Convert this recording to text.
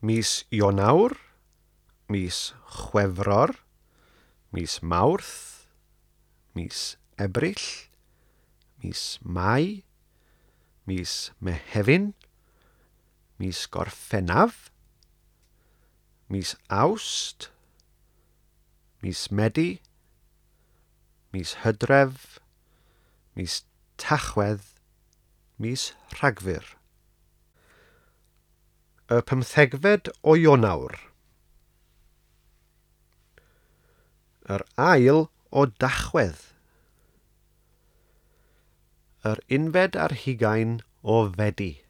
Mis Ionawr, mis Chwefror, mis Mawrth, mis Ebrill, mis Mai, mis Mehefin, mis Gorffennaf, mis Awst, mis Medi, mis Hydref, mis Tachwedd, mis Rhagfyr. Y pymthegfed o Ionawr. Yr ail o Dachwedd. Yr 21 o Fedi.